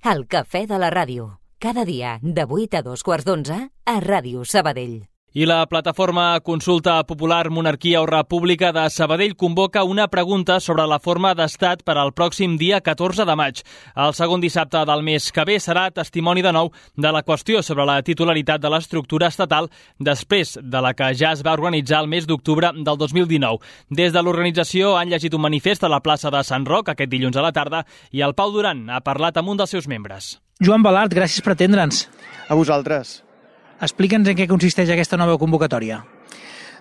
El cafè de la ràdio. Cada dia, de 8 a 2:15, a Ràdio Sabadell. I la plataforma Consulta Popular Monarquia o República de Sabadell convoca una pregunta sobre la forma d'estat per al pròxim dia 14 de maig. El segon dissabte del mes que ve serà testimoni de nou de la qüestió sobre la titularitat de l'estructura estatal després de la que ja es va organitzar el mes d'octubre del 2019. Des de l'organització han llegit un manifest a la plaça de Sant Roc aquest dilluns a la tarda i el Pau Duran ha parlat amb un dels seus membres. Joan Balart, gràcies per atendre'ns. A vosaltres. Explica'ns en què consisteix aquesta nova convocatòria.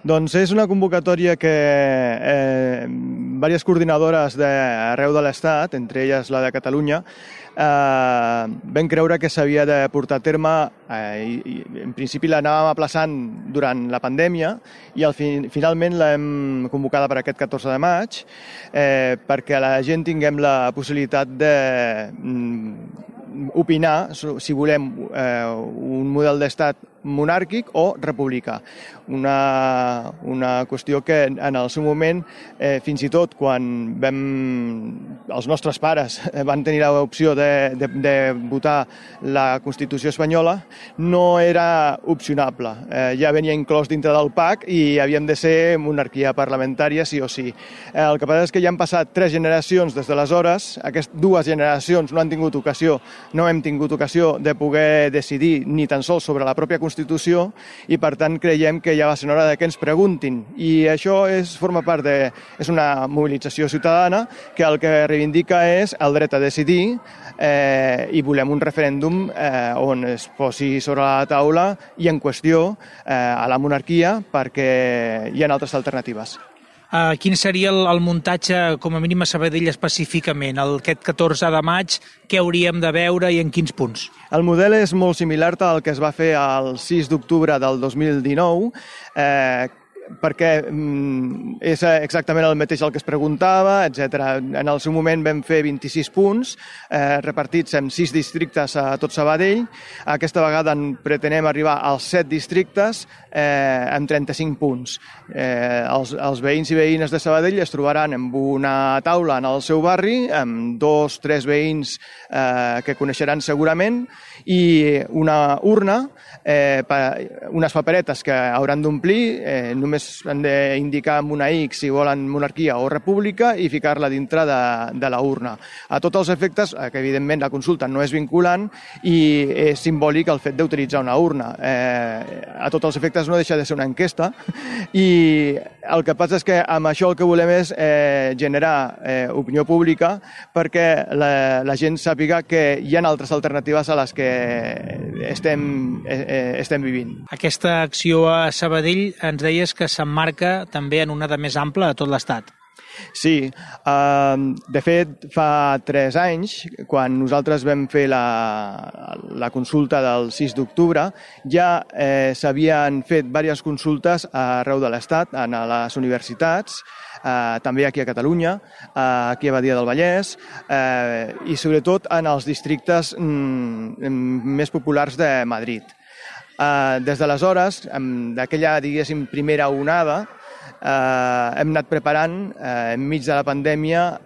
Doncs és una convocatòria que diverses coordinadores d'arreu de l'Estat, entre elles la de Catalunya, vam creure que s'havia de portar a terme, i en principi l'anàvem aplaçant durant la pandèmia i finalment l'hem convocada per aquest 14 de maig perquè la gent tinguem la possibilitat d'opinar si volem un model d'estat monàrquic o republicà. Una qüestió que en el seu moment, fins i tot quan els nostres pares van tenir l'opció de votar la Constitució espanyola, no era opcionable. Ja venia inclòs dintre del PAC i havíem de ser monarquia parlamentària sí o sí. El que passa és que ja han passat 3 generacions des d'aleshores. Aquestes 2 generacions no hem tingut ocasió de poder decidir ni tan sols sobre la pròpia Constitució i, per tant, creiem que ja va ser hora que ens preguntin. I això forma part és una mobilització ciutadana que el que reivindica és el dret a decidir i volem un referèndum on es posi sobre la taula i en qüestió a la monarquia perquè hi ha altres alternatives. Quin seria el muntatge, com a mínim a Sabadell específicament? Aquest 14 de maig, què hauríem de veure i en quins punts? El model és molt similar al que es va fer el 6 d'octubre del 2019, perquè és exactament el mateix el que es preguntava, etc. En el seu moment vam fer 26 punts, repartits en 6 districtes a tot Sabadell. Aquesta vegada pretenem arribar als 7 districtes amb 35 punts. Els veïns i veïnes de Sabadell es trobaran amb una taula en el seu barri, amb 2 o 3 veïns que coneixeran segurament, i una urna, unes paperetes que hauran d'omplir, només han d'indicar amb una X si volen monarquia o república i ficar-la dintre de la urna. A tots els efectes, que evidentment la consulta no és vinculant i és simbòlic el fet d'utilitzar una urna. A tots els efectes no deixa de ser una enquesta i el que passa és que amb això el que volem és generar opinió pública perquè la gent sàpiga que hi ha altres alternatives a les que estem vivint. Aquesta acció a Sabadell ens deies que s'emmarca també en una de més ampla a tot l'Estat. Sí, de fet fa 3 anys, quan nosaltres vam fer la consulta del 6 d'octubre, ja s'havien fet diverses consultes arreu de l'Estat, a les universitats, també aquí a Catalunya, aquí a Badia del Vallès i sobretot en els districtes més populars de Madrid. Des d'aleshores, d'aquella, diguéssim, primera onada, hem anat preparant, enmig de la pandèmia,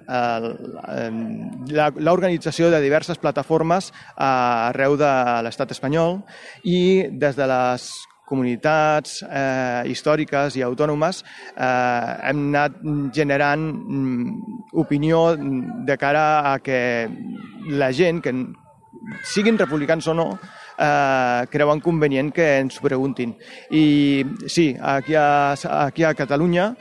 l'organització de diverses plataformes arreu de l'estat espanyol i des de les comunitats històriques i autònomes hem anat generant opinió de cara a que la gent, que siguin republicans o no, creuen convenient que ens ho preguntin. I sí, aquí a Catalunya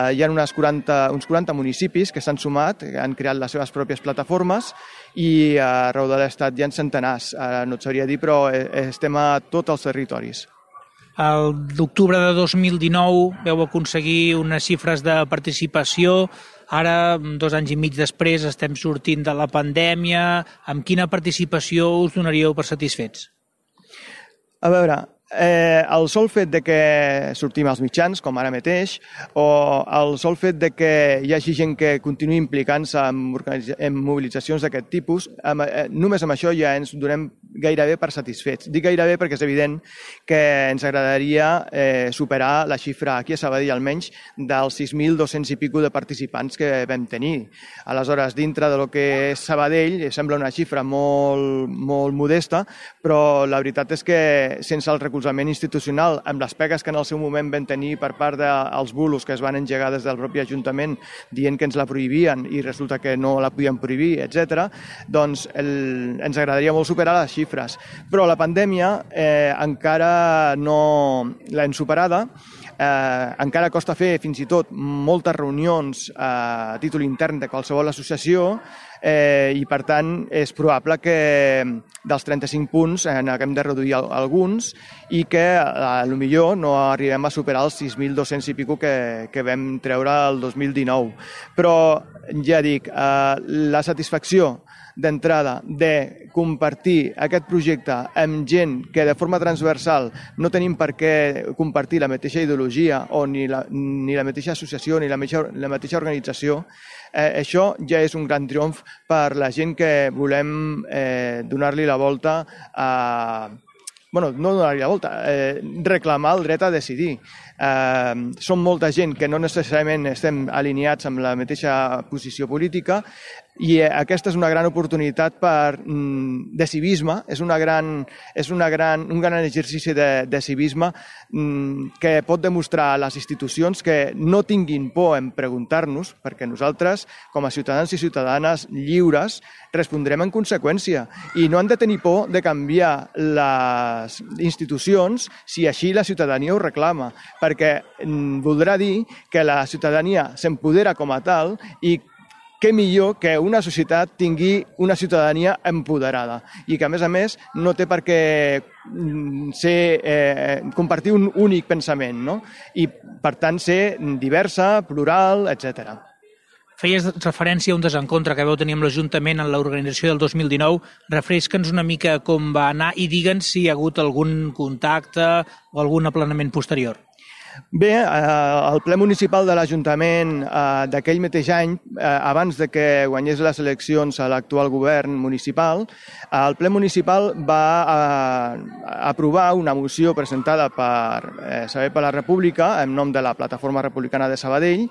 hi ha uns 40 municipis que s'han sumat, que han creat les seves pròpies plataformes i arreu de l'Estat hi ha centenars. No et sabria dir, però estem a tots els territoris. L'octubre de 2019 vau aconseguir unes xifres de participació. Ara, 2 anys i mig després, estem sortint de la pandèmia. Amb quina participació us donaríeu per satisfets? A veure, el sol fet de que sortim als mitjans, com ara mateix, o el sol fet de que hi hagi gent que continuï implicant-se en mobilitzacions d'aquest tipus, només amb això ja ens donem gairebé per satisfets. Dic gairebé perquè és evident que ens agradaria superar la xifra aquí a Sabadell almenys dels 6.200 i pico de participants que vam tenir. Aleshores, dintre de lo que és Sabadell, sembla una xifra molt, molt modesta, però la veritat és que sense el recolzament institucional, amb les pegues que en el seu moment vam tenir per part dels bulos que es van engegar des del propi Ajuntament dient que ens la prohibien i resulta que no la podien prohibir, etc., doncs ens agradaria molt superar les xifres. Però la pandèmia encara no l'hem superada, encara costa fer fins i tot moltes reunions a títol intern de qualsevol associació i per tant és probable que dels 35 punts n'haguem de reduir alguns i que potser no arribem a superar els 6.200 i pico que vam treure el 2019. Però ja dic, la satisfacció d'entrada de compartir aquest projecte amb gent que de forma transversal no tenim per què compartir la mateixa ideologia o ni la mateixa associació ni la mateixa organització, això ja és un gran triomf per la gent que volem donar-li la volta a... no donar-li la volta, reclamar el dret a decidir. Som molta gent que no necessàriament estem alineats amb la mateixa posició política i aquesta és una gran oportunitat de civisme, és un gran exercici de civisme que pot demostrar a les institucions que no tinguin por en preguntar-nos, perquè nosaltres, com a ciutadans i ciutadanes lliures, respondrem en conseqüència i no han de tenir por de canviar les institucions si així la ciutadania ho reclama, perquè voldrà dir que la ciutadania s'empodera com a tal i què millor que una societat tingui una ciutadania empoderada i que, a més, no té per què compartir un únic pensament, no? I, per tant, ser diversa, plural, etc. Feies referència a un desencontre que vau tenir amb l'Ajuntament en l'organització del 2019. Refresca'ns una mica com va anar i digue'ns si hi ha hagut algun contacte o algun aplanament posterior. Bé, el ple municipal de l'Ajuntament d'aquell mateix any, abans de que guanyés les eleccions a l'actual govern municipal, el ple municipal va aprovar una moció presentada per Sabadell per la República, en nom de la Plataforma Republicana de Sabadell,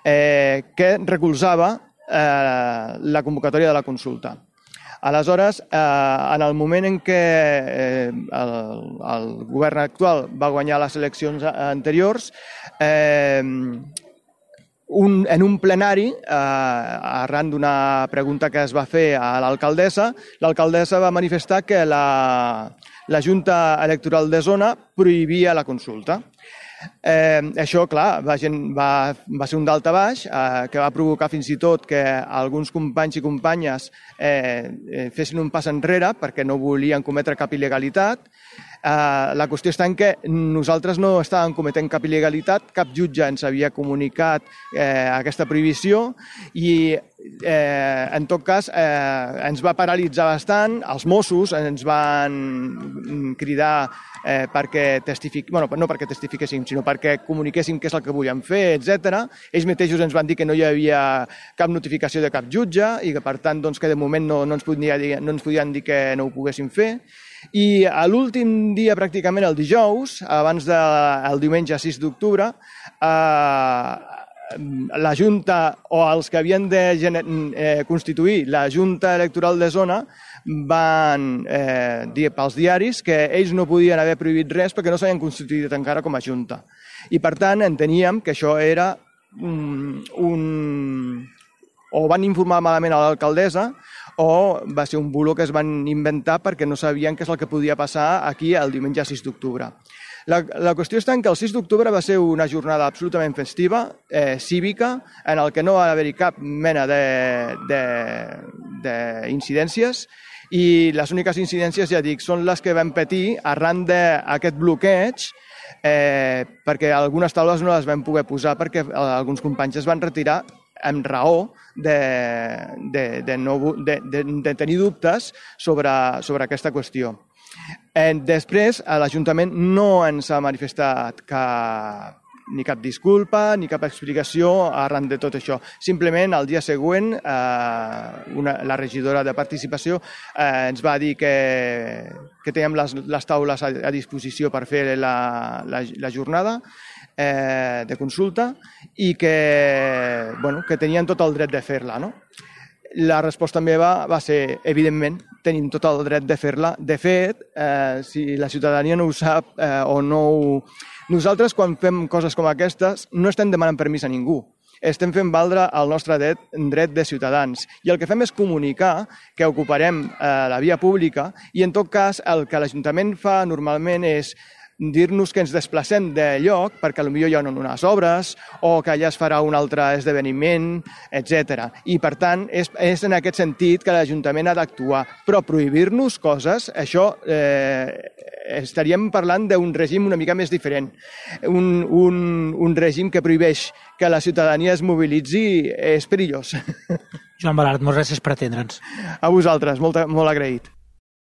que recolzava la convocatòria de la consulta. Aleshores, en el moment en què el govern actual va guanyar les eleccions anteriors, en un plenari, arran d'una pregunta que es va fer a l'alcaldessa va manifestar que la Junta Electoral de Zona prohibia la consulta. Això, clar, va ser un daltabaix que va provocar fins i tot que alguns companys i companyes fessin un pas enrere perquè no volien cometre cap il·legalitat. La qüestió està en que nosaltres no estàvem cometent cap il·legalitat, cap jutge ens havia comunicat aquesta prohibició i en tot cas ens va paralitzar bastant, els Mossos ens van cridar perquè no perquè testifiquéssim, sinó perquè comuniquéssim què és el que volíem fer, etc. Ells mateixos ens van dir que no hi havia cap notificació de cap jutge i que per tant que de moment no ens podien dir que no ho poguéssim fer. I a l'últim dia, pràcticament el dijous, abans del diumenge 6 d'octubre, la Junta o els que havien de constituir la Junta Electoral de Zona van dir pels diaris que ells no podien haver prohibit res perquè no s'havien constituït encara com a Junta. I per tant enteníem que això era o van informar malament a l'alcaldessa o va ser un bulo que es van inventar perquè no sabien què és el que podia passar aquí el diumenge 6 d'octubre. La qüestió està en que el 6 d'octubre va ser una jornada absolutament festiva, cívica, en el que no va haver-hi cap mena d'incidències i les úniques incidències, ja dic, són les que vam patir arran d'aquest bloqueig perquè algunes taules no les vam poder posar perquè alguns companys es van retirar amb raó de tenir dubtes sobre aquesta qüestió. Després, l'Ajuntament no ens ha manifestat ni cap disculpa ni cap explicació arran de tot això. Simplement, el dia següent, la regidora de participació ens va dir que teníem les taules a disposició per fer la jornada de consulta i que tenien tot el dret de fer-la, no? La resposta meva va ser, evidentment, tenim tot el dret de fer-la. De fet, si la ciutadania no ho sap o no ho... Nosaltres, quan fem coses com aquestes, no estem demanant permís a ningú. Estem fent valdre el nostre dret de ciutadans. I el que fem és comunicar que ocuparem la via pública i, en tot cas, el que l'Ajuntament fa normalment és dir-nos que ens desplacem de lloc perquè potser hi ha unes obres o que allà es farà un altre esdeveniment, etc. I, per tant, és en aquest sentit que l'Ajuntament ha d'actuar. Però prohibir-nos coses, això estaríem parlant d'un règim una mica més diferent. Un règim que prohibeix que la ciutadania es mobilitzi és perillós. Joan Balart, moltes gràcies per atendre'ns. A vosaltres, molt agraït.